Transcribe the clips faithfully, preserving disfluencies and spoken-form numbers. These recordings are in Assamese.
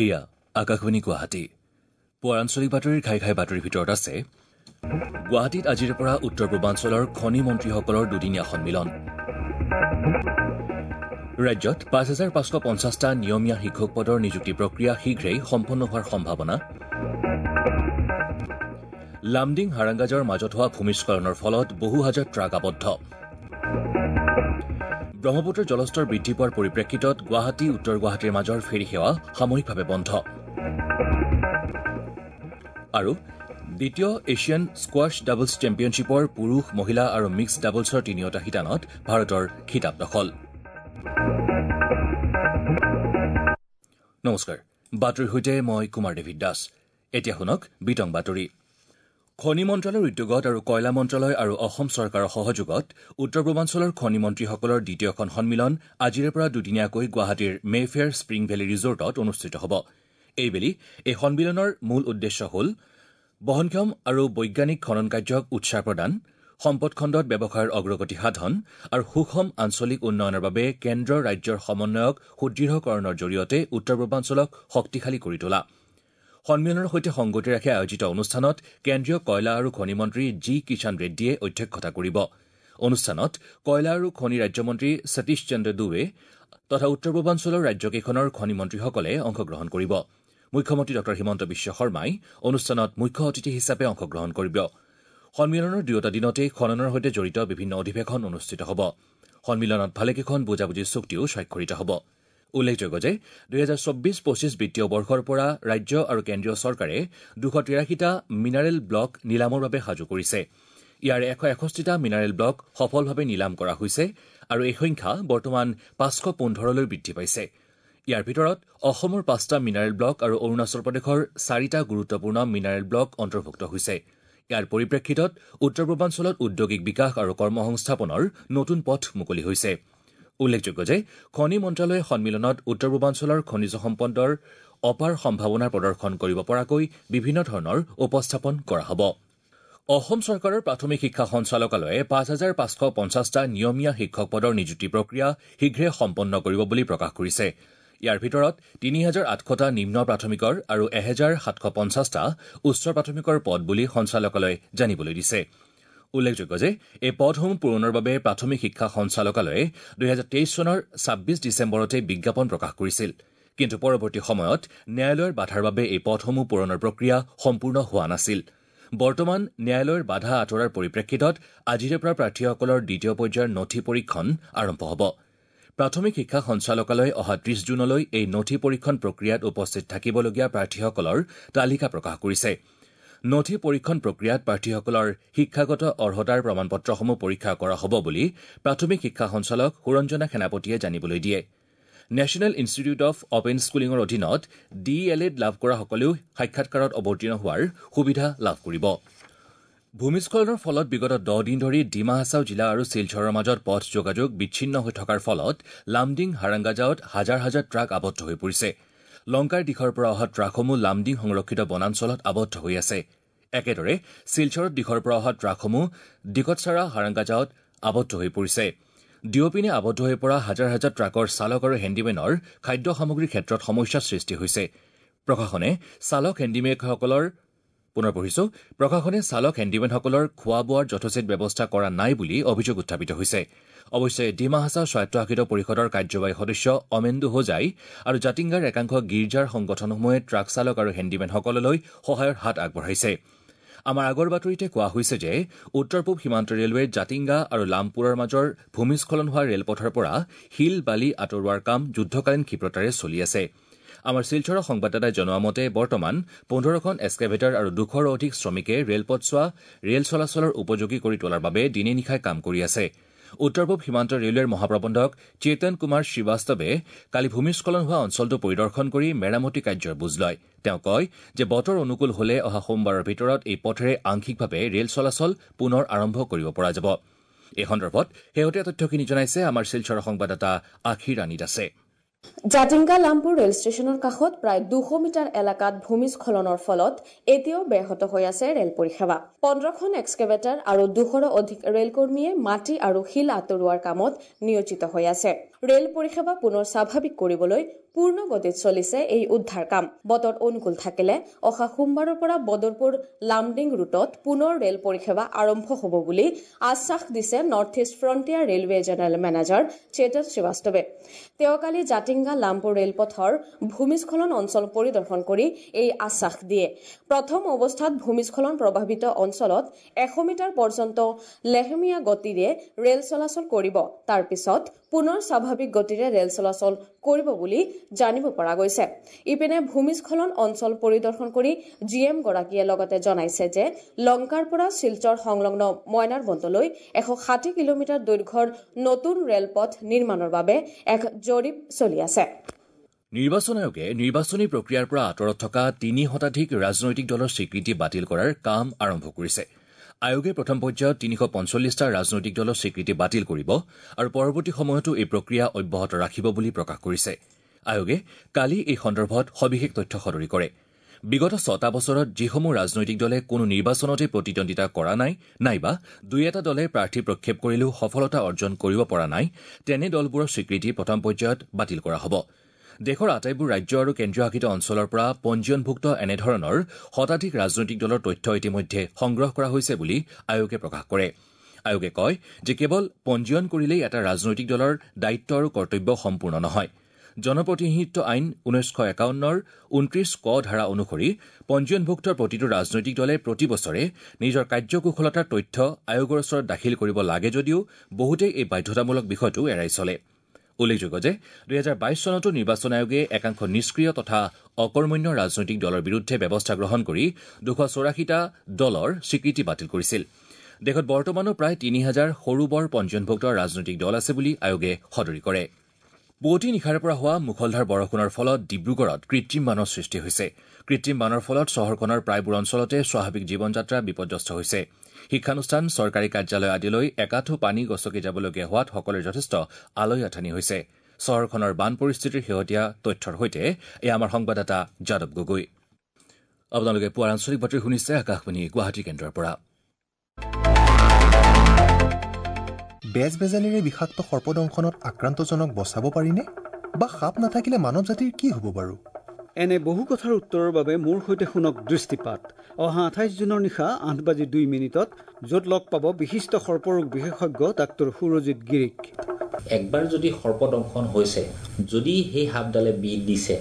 এয়া আকাশবাণী গুৱাহাটী। পুৱাৰ আঞ্চলিক বাতৰিৰ ঘাই ঘাই বাতৰিৰ ভিতৰত আছে গুৱাহাটীত আজিৰে পৰা উত্তৰ পূৰ্বাঞ্চলৰ খনি মন্ত্ৰীসকলৰ দুদিনীয়া সন্মিলন। ৰাজ্যত পাঁচ হাজাৰ পাঁচশ পঞ্চাছটা নিয়মীয়া শিক্ষক পদৰ নিযুক্তি প্ৰক্ৰিয়া শীঘ্ৰেই সম্পন্ন হোৱাৰ সম্ভাৱনা। লামডিং হাৰাংগাজৰ মাজত হোৱা ভূমিস্খলনৰ ফলত বহু হাজাৰ ট্ৰাক আবদ্ধ। ব্ৰহ্মপুত্ৰৰ জলস্তৰ বৃদ্ধি পোৱাৰ পৰিপ্ৰেক্ষিতত গুৱাহাটী উত্তৰ গুৱাহাটীৰ মাজৰ ফেৰী সেৱা সাময়িকভাৱে বন্ধ। আৰু দ্বিতীয় এছিয়ান স্কোৱাছ ডাবলছ চেম্পিয়নশ্বিপৰ পুৰুষ, মহিলা আৰু মিক্সড ডাবলছৰ তিনিওটা শিতানত ভাৰতৰ খিতাপ দখল। নমস্কাৰ, বাতৰিৰ সৈতে মই কুমাৰ ডেভিড দাস। এতিয়া শুনক বিতং বাতৰি। খনি মন্ত্ৰালয়ৰ উদ্যোগত আৰু কয়লা মন্ত্ৰালয় আৰু অসম চৰকাৰৰ সহযোগত উত্তৰ পূৰ্বাঞ্চলৰ খনি মন্ত্ৰীসকলৰ দ্বিতীয়খন সন্মিলন আজিৰে পৰা দুদিনীয়াকৈ গুৱাহাটীৰ মেফেয়াৰ স্প্ৰিং ভেলী ৰিজৰ্টত অনুষ্ঠিত হ'ব। এইবেলি এই সন্মিলনৰ মূল উদ্দেশ্য হ'ল বহনক্ষম আৰু বৈজ্ঞানিক খনন কাৰ্যক উৎসাহ প্ৰদান, সম্পদ খণ্ডত ব্যৱসায়ৰ অগ্ৰগতি সাধন আৰু সুষম আঞ্চলিক উন্নয়নৰ বাবে কেন্দ্ৰ ৰাজ্যৰ সমন্বয়ক সুদৃঢ়কৰণৰ জৰিয়তে উত্তৰ পূৰ্বাঞ্চলক শক্তিশালী কৰি তোলা। সন্মিলনৰ সৈতে সংগতি ৰাখি আয়োজিত অনুষ্ঠানত কেন্দ্ৰীয় কয়লা আৰু খনি মন্ত্ৰী জি কিষাণ ৰেড্ডীয়ে অধ্যক্ষতা কৰিব। অনুষ্ঠানত কয়লা আৰু খনি ৰাজ্যমন্ত্ৰী সতীশ চন্দ্ৰ দুবে তথা উত্তৰ পূৰ্বাঞ্চলৰ ৰাজ্যকেইখনৰ খনি মন্ত্ৰীসকলে অংশগ্ৰহণ কৰিব। মুখ্যমন্ত্ৰী ডঃ হিমন্ত বিশ্ব শৰ্মাই অনুষ্ঠানত মুখ্য অতিথি হিচাপে অংশগ্ৰহণ কৰিব। সন্মিলনৰ দুয়োটা দিনতেই খননৰ সৈতে জড়িত বিভিন্ন অধিৱেশন অনুষ্ঠিত হ'ব। সন্মিলনত ভালেকেইখন বুজাবুজিৰ চুক্তিও স্বাক্ষৰিত হ'ব। উল্লেখযোগ্য যে দুহেজাৰ চৌব্বিছ পঁচিছ বিত্তীয় বৰ্ষৰ পৰা ৰাজ্য আৰু কেন্দ্ৰীয় চৰকাৰে দুশ তিৰাশীটা মিনাৰেল ব্লক নিলামৰ বাবে সাজু কৰিছে। ইয়াৰে এশ এষষ্ঠিটা মিনাৰেল ব্লক সফলভাৱে নিলাম কৰা হৈছে আৰু এই সংখ্যা বৰ্তমান পাঁচশ পোন্ধৰলৈ বৃদ্ধি পাইছে। ইয়াৰ ভিতৰত অসমৰ পাঁচটা মিনাৰেল ব্লক আৰু অৰুণাচল প্ৰদেশৰ চাৰিটা গুৰুত্বপূৰ্ণ মিনাৰেল ব্লক অন্তৰ্ভুক্ত হৈছে। ইয়াৰ পৰিপ্ৰেক্ষিতত উত্তৰ পূৰ্বাঞ্চলত ঔদ্যোগিক বিকাশ আৰু কৰ্মসংস্থাপনৰ নতুন পথ মুকলি হৈছে। উল্লেখযোগ্য যে খনি মন্ত্ৰালয়ে সন্মিলনত উত্তৰ পূৰ্বাঞ্চলৰ খনিজ সম্পদৰ অপাৰ সম্ভাৱনা প্ৰদৰ্শন কৰিব পৰাকৈ বিভিন্ন ধৰণৰ উপস্থাপন কৰা হ'ব। অসম চৰকাৰৰ প্ৰাথমিক শিক্ষা সঞ্চালকালয়ে পাঁচ হাজাৰ পাঁচশ পঞ্চাছটা নিয়মীয়া শিক্ষক পদৰ নিযুক্তি প্ৰক্ৰিয়া শীঘ্ৰে সম্পন্ন কৰিব বুলি প্ৰকাশ কৰিছে। ইয়াৰ ভিতৰত তিনি হাজাৰ আঠশটা নিম্ন প্ৰাথমিকৰ আৰু এহেজাৰ সাতশ পঞ্চাছটা উচ্চ প্ৰাথমিকৰ পদ বুলি সঞ্চালকালয়ে জানিবলৈ দিছে। উল্লেখযোগ্য যে এই পদসমূহ পূৰণৰ বাবে প্ৰাথমিক শিক্ষা সঞ্চালকালয়ে দুহেজাৰ তেইছ চনৰ ছাব্বিছ ডিচেম্বৰতে বিজ্ঞাপন প্ৰকাশ কৰিছিল। কিন্তু পৰৱৰ্তী সময়ত ন্যায়ালয়ৰ বাধাৰ বাবে এই পদসমূহ পূৰণৰ প্ৰক্ৰিয়া সম্পূৰ্ণ হোৱা নাছিল। বৰ্তমান ন্যায়ালয়ৰ বাধা আঁতৰাৰ পৰিপ্ৰেক্ষিতত আজিৰে পৰা প্ৰাৰ্থীসকলৰ দ্বিতীয় পৰ্যায়ৰ নথি পৰীক্ষণ আৰম্ভ হ'ব। প্ৰাথমিক শিক্ষা সঞ্চালকালয়ে অহা ত্ৰিশ জুনলৈ এই নথি পৰীক্ষণ প্ৰক্ৰিয়াত উপস্থিত থাকিবলগীয়া প্ৰাৰ্থীসকলৰ তালিকা প্ৰকাশ কৰিছে। নথি পৰীক্ষণ প্ৰক্ৰিয়াত প্ৰাৰ্থীসকলৰ শিক্ষাগত অৰ্হতাৰ প্ৰমাণপত্ৰসমূহ পৰীক্ষা কৰা হ'ব বুলি প্ৰাথমিক শিক্ষা সঞ্চালক সুৰঞ্জনা সেনাপতিয়ে জানিবলৈ দিয়ে। নেশ্যনেল ইনষ্টিটিউট অৱ অপেন স্কুলিঙৰ অধীনত ডি এল এড লাভ কৰাসকলেও সাক্ষাৎকাৰত অৱতীৰ্ণ হোৱাৰ সুবিধা লাভ কৰিব। ভূমিস্খলনৰ ফলত বিগত দহ দিন ধৰি ডিমা হাছাও জিলা আৰু শিলচৰৰ মাজত পথ যোগাযোগ বিচ্ছিন্ন হৈ থকাৰ ফলত লামডিং হাৰাংগাজাওত হাজাৰ হাজাৰ ট্ৰাক আবদ্ধ হৈ পৰিছে। লংকাৰ দিশৰ পৰা অহা ট্ৰাকসমূহ লামডিং সংৰক্ষিত বনাঞ্চলত আবদ্ধ হৈ আছে। একেদৰে শিলচৰত দিশৰ পৰা অহা ট্ৰাকসমূহ দিকতচাৰা হাৰাংগাজাওত আবদ্ধ হৈ পৰিছে। দুয়োপিনে আবদ্ধ হৈ পৰা হাজাৰ হাজাৰ ট্ৰাকৰ চালক আৰু হেণ্ডিমেনৰ খাদ্য সামগ্ৰীৰ ক্ষেত্ৰত সমস্যাৰ সৃষ্টি হৈছে। প্ৰশাসনে চালক হেণ্ডিমেনসকলৰ পুনৰ পঢ়িছো প্ৰশাসনে চালক হেণ্ডিমেনসকলৰ খোৱা বোৱাৰ যথোচিত ব্যৱস্থা কৰা নাই বুলি অভিযোগ উত্থাপিত হৈছে। অৱশ্যে ডিমা হাছাও স্বায়ত্তশাসিত পৰিষদৰ কাৰ্যবাহী সদস্য অমেন্দু হোজাই আৰু জাতিংগাৰ একাংশ গীৰ্জাৰ সংগঠনসমূহে ট্ৰাক চালক আৰু হেণ্ডিমেনসকললৈ সহায়ৰ হাত আগবঢ়াইছে। আমাৰ আগৰ বাতৰিতে কোৱা হৈছে যে উত্তৰ পূব সীমান্ত ৰেলৱেৰ জাতিংগা আৰু লামপুৰৰ মাজৰ ভূমিস্খলন হোৱা ৰেলপথৰ পৰা শিল বালি আঁতৰোৱাৰ কাম যুদ্ধকালীন ক্ষিপ্ৰতাৰে চলি আছে। আমাৰ শিলচৰৰ সংবাদদাতাই জনোৱা মতে বৰ্তমান পোন্ধৰখন এক্সকেভেটৰ আৰু দুশৰো অধিক শ্ৰমিকে ৰেলপথছোৱা ৰেল চলাচলৰ উপযোগী কৰি তোলাৰ বাবে দিনে নিশাই কাম কৰি আছে। উত্তৰ পূব সীমান্ত ৰেলৱেৰ মহাপ্ৰবন্ধক চেতন কুমাৰ শ্ৰীবাস্তৱে কালি ভূমিস্খলন হোৱা অঞ্চলটো পৰিদৰ্শন কৰি মেৰামতি কাৰ্যৰ বুজ লয়। তেওঁ কয় যে বতৰ অনুকূল হলে অহা সোমবাৰৰ ভিতৰত এই পথেৰে আংশিকভাৱে ৰেল চলাচল পুনৰ আৰম্ভ কৰিব পৰা যাব। এই সন্দৰ্ভত শেহতীয়া তথ্যখিনি জনাইছে আমাৰ শিলচৰৰ সংবাদদাতা আখি ৰাণী দাসে। জাতিংগা লামপুৰ ৰেল ষ্টেচনৰ কাষত প্ৰায় দুশ মিটাৰ এলেকাত ভূমিস্খলনৰ ফলত এতিয়াও ব্যাহত হৈ আছে ৰেল পৰিসেৱা। পোন্ধৰখন এক্সকেভেটৰ আৰু দুশৰো অধিক ৰেলকৰ্মীয়ে মাটি আৰু শিল আঁতৰোৱাৰ কামত নিয়োজিত হৈ আছে। ৰেল পৰিসেৱা পুনৰ স্বাভাৱিক কৰিবলৈ পূৰ্ণ গতিত চলিছে এই উদ্ধাৰ কাম। বতৰ অনুকূল থাকিলে অহা সোমবাৰৰ পৰা বদৰপুৰ লামডিং ৰুটত পুনৰ ৰেল পৰিসেৱা আৰম্ভ হ'ব বুলি আশ্বাস দিছে North East Frontier Railway general manager Chetan শ্ৰীবাস্তৱে। তেওঁ কালি জাতিংগা লামপুৰ ৰেলপথৰ ভূমিস্খলন অঞ্চল পৰিদৰ্শন কৰি এই আশ্বাস দিয়ে। প্ৰথম অৱস্থাত ভূমিস্খলন প্ৰভাৱিত অঞ্চলত এশ মিটাৰ পৰ্যন্ত লেহেমীয়া গতিৰে ৰেল চলাচল কৰিব, তাৰ পিছত পুনৰ স্বাভাৱিক গতিৰে ৰেল চলাচল কৰিব বুলি জানিব পৰা গৈছে। ইপিনে ভূমিস্খলন অঞ্চল পৰিদৰ্শন কৰি জি এম গৰাকীয়ে লগতে জনাইছে যে লংকাৰ পৰা শিলচৰ সংলগ্ন মইনাৰবন্দলৈ এশ ষাঠি কিলোমিটাৰ দৈৰ্ঘ্যৰ নতুন ৰেলপথ নিৰ্মাণৰ বাবে এক জৰীপ চলি আছে। নিৰ্বাচন আয়োগে নিৰ্বাচনী প্ৰক্ৰিয়াৰ পৰা আঁতৰত থকা তিনি শতাধিক ৰাজনৈতিক দলৰ স্বীকৃতি বাতিল কৰাৰ কাম আৰম্ভ কৰিছে। আয়োগে প্ৰথম পৰ্যায়ত তিনিশ পঞ্চল্লিছটা ৰাজনৈতিক দলৰ স্বীকৃতি বাতিল কৰিব আৰু পৰৱৰ্তী সময়তো এই প্ৰক্ৰিয়া অব্যাহত ৰাখিব বুলি প্ৰকাশ কৰিছে। আয়োগে কালি এই সন্দৰ্ভত সবিশেষ তথ্য সদৰি কৰে। বিগত ছটা বছৰত যিসমূহ ৰাজনৈতিক দলে কোনো নিৰ্বাচনতে প্ৰতিদ্বন্দ্বিতা কৰা নাই নাইবা দুই এটা দলে প্ৰাৰ্থী প্ৰক্ষেপ কৰিলেও সফলতা অৰ্জন কৰিব পৰা নাই, তেনে দলবোৰৰ স্বীকৃতি প্ৰথম পৰ্যায়ত বাতিল কৰা হ'ব। দেশৰ আটাইবোৰ ৰাজ্য আৰু কেন্দ্ৰীয় শাসিত অঞ্চলৰ পৰা পঞ্জীয়নভুক্ত এনেধৰণৰ শতাধিক ৰাজনৈতিক দলৰ তথ্য ইতিমধ্যে সংগ্ৰহ কৰা হৈছে বুলি আয়োগে প্ৰকাশ কৰে। আয়োগে কয় যে কেৱল পঞ্জীয়ন কৰিলেই এটা ৰাজনৈতিক দলৰ দায়িত্ব আৰু কৰ্তব্য সম্পূৰ্ণ নহয়। জনপ্ৰতিনিধিত্ব আইন ঊনৈছশ একাৱন্নৰ ঊনত্ৰিশ ক ধাৰা অনুসৰি পঞ্জীয়নভুক্ত প্ৰতিটো ৰাজনৈতিক দলে প্ৰতি বছৰে নিজৰ কাৰ্যকুশলতাৰ তথ্য আয়োগৰ ওচৰত দাখিল কৰিব লাগে যদিও বহুতেই এই বাধ্যতামূলক বিষয়টো এৰাই চলে। উল্লেখযোগ্য যে দুহেজাৰ বাইশ চনতো নিৰ্বাচন আয়োগে একাংশ নিষ্ক্ৰিয় তথা অকৰ্মণ্য ৰাজনৈতিক দলৰ বিৰুদ্ধে ব্যৱস্থা গ্ৰহণ কৰি দুশ চৌৰাশীটা দলৰ স্বীকৃতি বাতিল কৰিছিল। দেশত বৰ্তমানো প্ৰায় তিনি হাজাৰ সৰু বৰ পঞ্জীয়নভুক্ত ৰাজনৈতিক দল আছে বুলি আয়োগে সদৰি কৰে। পুৱতি নিশাৰে পৰা হোৱা মুখলধাৰ বৰষুণৰ ফলত ডিব্ৰুগড়ত কৃত্ৰিম বানৰ সৃষ্টি হৈছে। কৃত্ৰিম বানৰ ফলত চহৰখনৰ প্ৰায়বোৰ অঞ্চলতে স্বাভাৱিক জীৱনযাত্ৰা বিপৰ্যস্ত হৈছে। শিক্ষানুষ্ঠান, চৰকাৰী কাৰ্যালয় আদিলৈ একাঠু পানী গছকি যাবলগীয়া হোৱাত সকলোৰে যথেষ্ট আলৈ আথানি হৈছে। চহৰখনৰ বান পৰিস্থিতিৰ শেহতীয়া তথ্যৰ সৈতে এয়া আমাৰ সংবাদদাতা যাদৱ গগৈ। আপোনালোকে পুৱাৰ আঞ্চলিক বাতৰি শুনিছে আকাশবাণী গুৱাহাটী কেন্দ্ৰৰ পৰা। বেজ বেজালিৰে বিষাক্ত সৰ্পদংশনত আক্ৰান্তজনক বচাব পাৰিনে? বা সাপ নাথাকিলে মানৱ জাতিৰ কি হ'ব বাৰু? এনে বহু কথাৰ উত্তৰৰ বাবে মোৰ সৈতে শুনক দৃষ্টিপাত অহা আঠাইছ জুনৰ নিশা আঠ বাজি দুই মিনিটত, য'ত লগ পাব বিশিষ্ট সৰ্পৰোগ বিশেষজ্ঞ ডাক্তৰ সুৰজিৎ গিৰিক। একবাৰ যদি সৰ্পদংশন হৈছে, যদি সেই সাপডালে বিষ দিছে,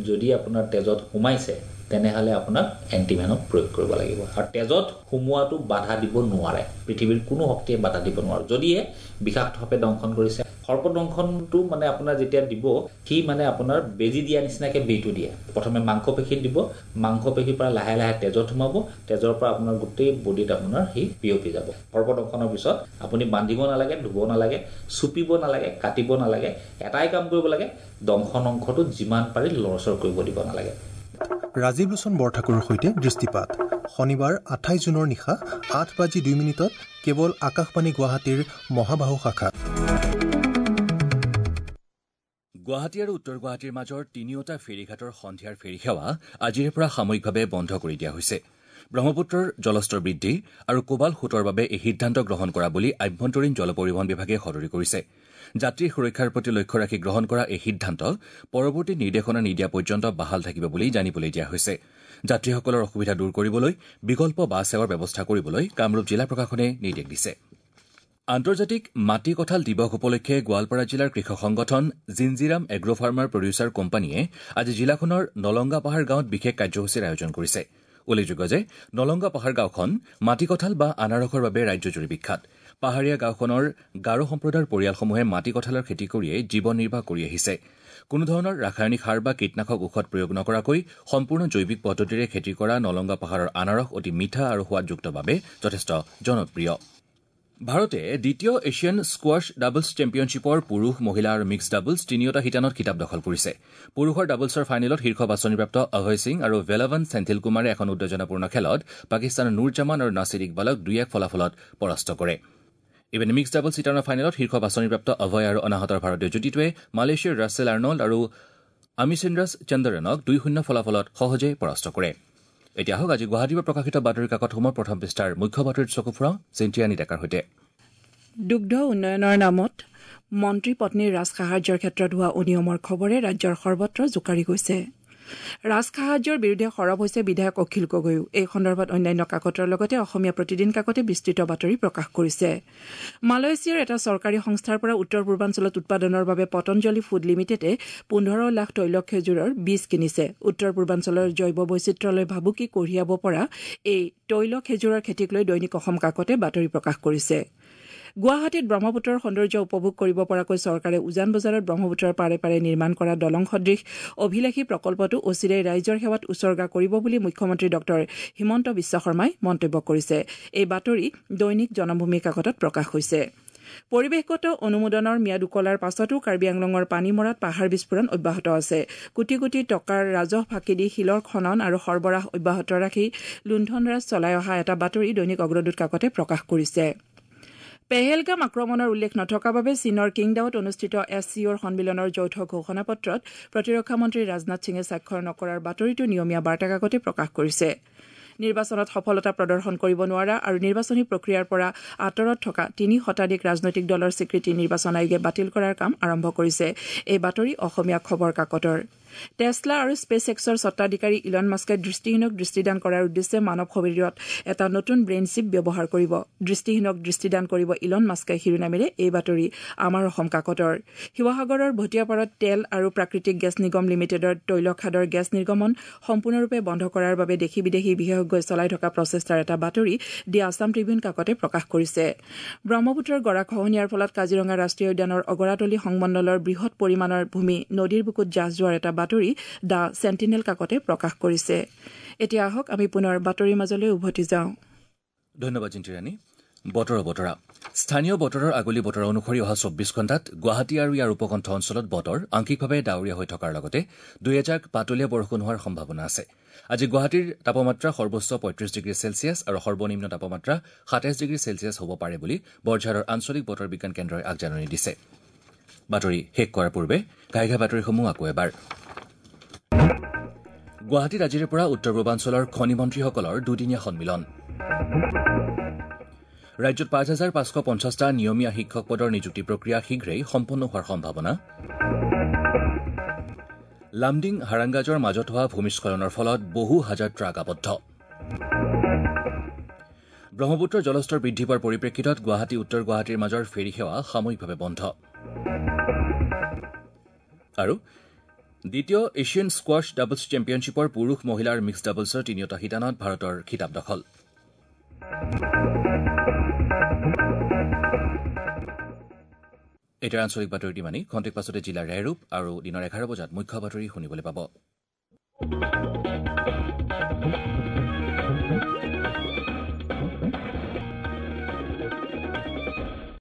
যদি আপোনাৰ তেজত সোমাইছে, তেনেহ'লে আপোনাক এণ্টিভেনম প্ৰয়োগ কৰিব লাগিব। আৰু তেজত সোমোৱাটো বাধা দিব নোৱাৰে, পৃথিৱীৰ কোনো শক্তিয়ে বাধা দিব নোৱাৰে যদিহে বিষাক্ত সাপে দংশন কৰিছে। সৰ্পদংশনটো মানে আপোনাৰ যেতিয়া দিব, সি মানে আপোনাৰ বেজী দিয়া নিচিনাকৈ বেজীটো দিয়ে। প্ৰথমে মাংসপেশীত দিব, মাংসপেশীৰ পৰা লাহে লাহে তেজত সোমাব, তেজৰ পৰা আপোনাৰ গোটেই বডিত আপোনাৰ সি বিয়পি যাব। সৰ্পদংশনৰ পিছত আপুনি বান্ধিব নালাগে, ধুব নালাগে, চুপিব নালাগে, কাটিব নালাগে। এটাই কাম কৰিব লাগে, দংশন অংশটো যিমান পাৰি লৰচৰ কৰিব দিব নালাগে। ৰাজীৱ লোচন বৰঠাকুৰৰ সৈতে দৃষ্টিপাত শনিবাৰ আঠাইছ জুনৰ নিশা আঠ বাজি দুই মিনিটত কেৱল আকাশবাণী গুৱাহাটীৰ মহাবাহু শাখাত। গুৱাহাটী আৰু উত্তৰ গুৱাহাটীৰ মাজৰ তিনিওটা ফেৰীঘাটৰ সন্ধিয়াৰ ফেৰী সেৱা আজিৰে পৰা সাময়িকভাৱে বন্ধ কৰি দিয়া হৈছে। ব্ৰহ্মপুত্ৰৰ জলস্তৰ বৃদ্ধি আৰু কোবাল সোঁতৰ বাবে এই সিদ্ধান্ত গ্ৰহণ কৰা বুলি আভ্যন্তৰীণ জল পৰিবহণ বিভাগে সদৰি কৰিছে। যাত্ৰীৰ সুৰক্ষাৰ প্ৰতি লক্ষ্য ৰাখি গ্ৰহণ কৰা এই সিদ্ধান্ত পৰৱৰ্তী নিৰ্দেশনা নিদিয়া পৰ্যন্ত বাহাল থাকিব বুলি জানিবলৈ দিয়া হৈছে। যাত্ৰীসকলৰ অসুবিধা দূৰ কৰিবলৈ বিকল্প বাছ সেৱাৰ ব্যৱস্থা কৰিবলৈ কামৰূপ জিলা প্ৰশাসনে নিৰ্দেশ দিছে। আন্তৰ্জাতিক মাটি কঁঠাল দিৱস উপলক্ষে গোৱালপাৰা জিলাৰ কৃষক সংগঠন জিঞ্জিৰাম এগ্ৰ' ফাৰ্মাৰ প্ৰডিউচাৰ কোম্পানীয়ে আজি জিলাখনৰ নলংগা পাহাৰ গাঁৱত বিশেষ কাৰ্যসূচীৰ আয়োজন কৰিছে। উল্লেখযোগ্য যে নলংগা পাহাৰ গাঁওখন মাটি কঁঠাল বা আনাৰসৰ বাবে ৰাজ্যজুৰি বিখ্যাত। পাহাৰীয়া গাঁওখনৰ গাৰো সম্প্ৰদায়ৰ পৰিয়ালসমূহে মাটি কঁঠালৰ খেতি কৰিয়েই জীৱন নিৰ্বাহ কৰি আহিছে। কোনোধৰণৰ ৰাসায়নিক সাৰ বা কীটনাশক ঔষধ প্ৰয়োগ নকৰাকৈ সম্পূৰ্ণ জৈৱিক পদ্ধতিৰে খেতি কৰা নলংগা পাহাৰৰ আনাৰস অতি মিঠা আৰু সোৱাদযুক্ত বাবে যথেষ্ট জনপ্ৰিয়। ভাৰতে দ্বিতীয় এছিয়ান স্কোৱাছ ডাবলছ চেম্পিয়নশ্বিপৰ পুৰুষ, মহিলা আৰু মিক্স ডাবলছ তিনিওটা শিতানত খিতাপ দখল কৰিছে। পুৰুষৰ ডাবলছৰ ফাইনেলত শীৰ্ষ বাছনিপ্ৰাপ্ত অভয় সিং আৰু ভেলাভান চেন্থিল কুমাৰে এখন উত্তেজনাপূৰ্ণ খেলত পাকিস্তানৰ নুৰ জামান আৰু নাছিৰ ইকবালক দুই এক ফলাফলত পৰাস্ত কৰে। ইপিনে মিক্স ডাবলছ শিতানৰ ফাইনেলত শীৰ্ষ বাছনিপ্ৰাপ্ত অভয় আৰু অনাহতৰ ভাৰতীয় যুটীটোৱে মালয়েছিয়াৰ ৰাছেল আৰ্নল্ড আৰু আমিচেন্দ্ৰাছ চন্দ্ৰনক দুই শূন্য ফলাফলত সহজে পৰাস্ত কৰে। এতিয়া আহক আজি গুৱাহাটীৰ পৰা প্ৰকাশিত বাতৰি কাকতসমূহৰ প্ৰথম পৃষ্ঠাৰ মুখ্য বাতৰিত চকু ফুৰাওঁ চেণ্টিয়ানী ডেকাৰ সৈতে। দুগ্ধ উন্নয়নৰ নামত মন্ত্ৰী পত্নীৰ ৰাজসাহায্যৰ ক্ষেত্ৰত হোৱা অনিয়মৰ খবৰে ৰাজ্যৰ সৰ্বত্ৰ জোকাৰি গৈছে। ৰাজসাহায্যৰ বিৰুদ্ধে সৰব হৈছে বিধায়ক অখিল গগৈও। এই সন্দৰ্ভত অন্যান্য কাকতৰ লগতে অসমীয়া প্ৰতিদিন কাকতে বিস্তৃত বাতৰি প্ৰকাশ কৰিছে। মালয়েছিয়াৰ এটা চৰকাৰী সংস্থাৰ পৰা উত্তৰ পূৰ্বাঞ্চলত উৎপাদনৰ বাবে পতঞ্জলি ফুড লিমিটেডে পোন্ধৰ লাখ তৈল খেজুৰৰ বীজ কিনিছে। উত্তৰ পূৰ্বাঞ্চলৰ জৈৱ বৈচিত্ৰ্যলৈ ভাবুকি কঢ়িয়াব পৰা এই তৈল খেজুৰৰ খেতিক লৈ দৈনিক অসম কাকতে বাতৰি প্ৰকাশ কৰিছে। গুৱাহাটীত ব্ৰহ্মপুত্ৰৰ সৌন্দৰ্য উপভোগ কৰিব পৰাকৈ চৰকাৰে উজান বজাৰত ব্ৰহ্মপুত্ৰৰ পাৰে পাৰে নিৰ্মাণ কৰা দলং সদৃশ অভিলাষী প্ৰকল্পটো অচিৰেই ৰাইজৰ সেৱাত উছৰ্গা কৰিব বুলি মুখ্যমন্ত্ৰী ডঃ হিমন্ত বিশ্ব শৰ্মাই মন্তব্য কৰিছে। এই বাতৰি দৈনিক জনমভূমি কাকতত প্ৰকাশ হৈছে। পৰিৱেশগত অনুমোদনৰ ম্যাদ উকলাৰ পাছতো কাৰ্বি আংলঙৰ পানীমৰাত পাহাৰ বিস্ফোৰণ অব্যাহত আছে। কোটি কোটি টকাৰ ৰাজহ ফাঁকি দি শিলৰ খনন আৰু সৰবৰাহ অব্যাহত ৰাখি লুণ্ঠনৰাজ চলাই অহা এটা বাতৰি দৈনিক অগ্ৰদূত কাকতে প্ৰকাশ কৰিছে। পেহেলগাম আক্ৰমণৰ উল্লেখ নথকা বাবে চীনৰ কিংডাওত অনুষ্ঠিত এছ চি অ'ৰ সন্মিলনৰ যৌথ ঘোষণাপত্ৰত প্ৰতিৰক্ষা মন্ত্ৰী ৰাজনাথ সিঙে স্বাক্ষৰ নকৰাৰ বাতৰিটো নিয়মীয়া বাৰ্তা কাকতে প্ৰকাশ কৰিছে। নিৰ্বাচনত সফলতা প্ৰদৰ্শন কৰিব নোৱাৰা আৰু নিৰ্বাচনী প্ৰক্ৰিয়াৰ পৰা আঁতৰত থকা তিনি শতাধিক ৰাজনৈতিক দলৰ স্বীকৃতি নিৰ্বাচন আয়োগে বাতিল কৰাৰ কাম আৰম্ভ কৰিছে। এই বাতৰি অসমীয়া খবৰ কাকতৰ। টেছলা আৰু স্পেচ এক্সৰ স্বত্বাধিকাৰী ইলন মাস্কে দৃষ্টিহীনক দৃষ্টিদান কৰাৰ উদ্দেশ্যে মানৱ শৰীৰত এটা নতুন ব্ৰেইন চিপ ব্যৱহাৰ কৰিব। দৃষ্টিহীনক দৃষ্টিদান কৰিব ইলন মাস্কে শিৰোনামেৰে এই বাতৰি আমাৰ অসম কাকতৰ। শিৱসাগৰৰ ভটিয়াপাৰত তেল আৰু প্ৰাকৃতিক গেছ নিগম লিমিটেডৰ তৈলখাদৰ গেছ নিৰ্গমন সম্পূৰ্ণৰূপে বন্ধ কৰাৰ বাবে দেশী বিদেশী বিশেষজ্ঞই চলাই থকা প্ৰচেষ্টাৰ এটা বাতৰি দি আছাম ট্ৰিবিউন কাকতে প্ৰকাশ কৰিছে। ব্ৰহ্মপুত্ৰৰ গৰাখহনীয়াৰ ফলত কাজিৰঙা ৰাষ্ট্ৰীয় উদ্যানৰ অগৰাতলী সংমণ্ডলৰ বৃহৎ পৰিমাণৰ ভূমি নদীৰ বুকুত জাহ যোৱাৰ এটা বাতৰি the sentinel কাকতে প্ৰকাশ কৰিছে। এতিয়া আহক আমি পুনৰ বাতৰিৰ মাজলৈ উভতি যাওঁ। ধন্যবাদ জিন্তিৰাণী। বতৰৰ বতৰা। স্থানীয় বতৰৰ আগলি বতৰ অনুসৰি অহা চৌব্বিছ ঘণ্টাত গুৱাহাটী আৰু ইয়াৰ উপকণ্ঠ অঞ্চলত বতৰ আংশিকভাৱে ডাৱৰীয়া হৈ থকাৰ লগতে দুই এজাক পাতলীয়া বৰষুণ হোৱাৰ সম্ভাৱনা আছে। আজি গুৱাহাটীৰ তাপমাত্ৰা সৰ্বোচ্চ পঁয়ত্ৰিছ ডিগ্ৰী চেলছিয়াছ আৰু সৰ্বনিম্ন তাপমাত্ৰা সাতাইছ ডিগ্ৰী চেলছিয়াছ হ'ব পাৰে বুলি বৰঝাৰৰ আঞ্চলিক বতৰ বিজ্ঞান কেন্দ্ৰই আগজাননী দিছে। বাতৰি শেষ কৰাৰ পূৰ্বে ঘাই ঘাই বাতৰিসমূহ আকৌ এবাৰ। গুৱাহাটীত আজিৰে পৰা উত্তৰ পূৰ্বাঞ্চলৰ খনি মন্ত্ৰীসকলৰ দুদিনীয়া সন্মিলন। ৰাজ্যত পাঁচ হাজাৰ পাঁচশ পঞ্চাছটা নিয়মীয়া শিক্ষক পদৰ নিযুক্তি প্ৰক্ৰিয়া শীঘ্ৰেই সম্পন্ন হোৱাৰ সম্ভাৱনা। লামডিং হাৰাংগাজৰ মাজত হোৱা ভূমিস্খলনৰ ফলত বহু হাজাৰ ট্ৰাক আবদ্ধ। ব্ৰহ্মপুত্ৰৰ জলস্তৰ বৃদ্ধি পোৱাৰ পৰিপ্ৰেক্ষিতত গুৱাহাটী উত্তৰ গুৱাহাটীৰ মাজৰ ফেৰী সেৱা সাময়িকভাৱে বন্ধ। আৰু দ্বিতীয় এছিয়ান স্কোৱাছ ডাবলছ চেম্পিয়নশ্বিপৰ পুৰুষ মহিলাৰ মিক্স ডাবলছৰ তিনিওটা শিতানত ভাৰতৰ খিতাপ দখল। এতিয়া আঞ্চলিক বাতৰি ইমানেই। খন্তেক পাছতে জিলাৰ ৰেহৰূপ আৰু দিনৰ এঘাৰ বজাত মুখ্য বাতৰি শুনিবলৈ পাব।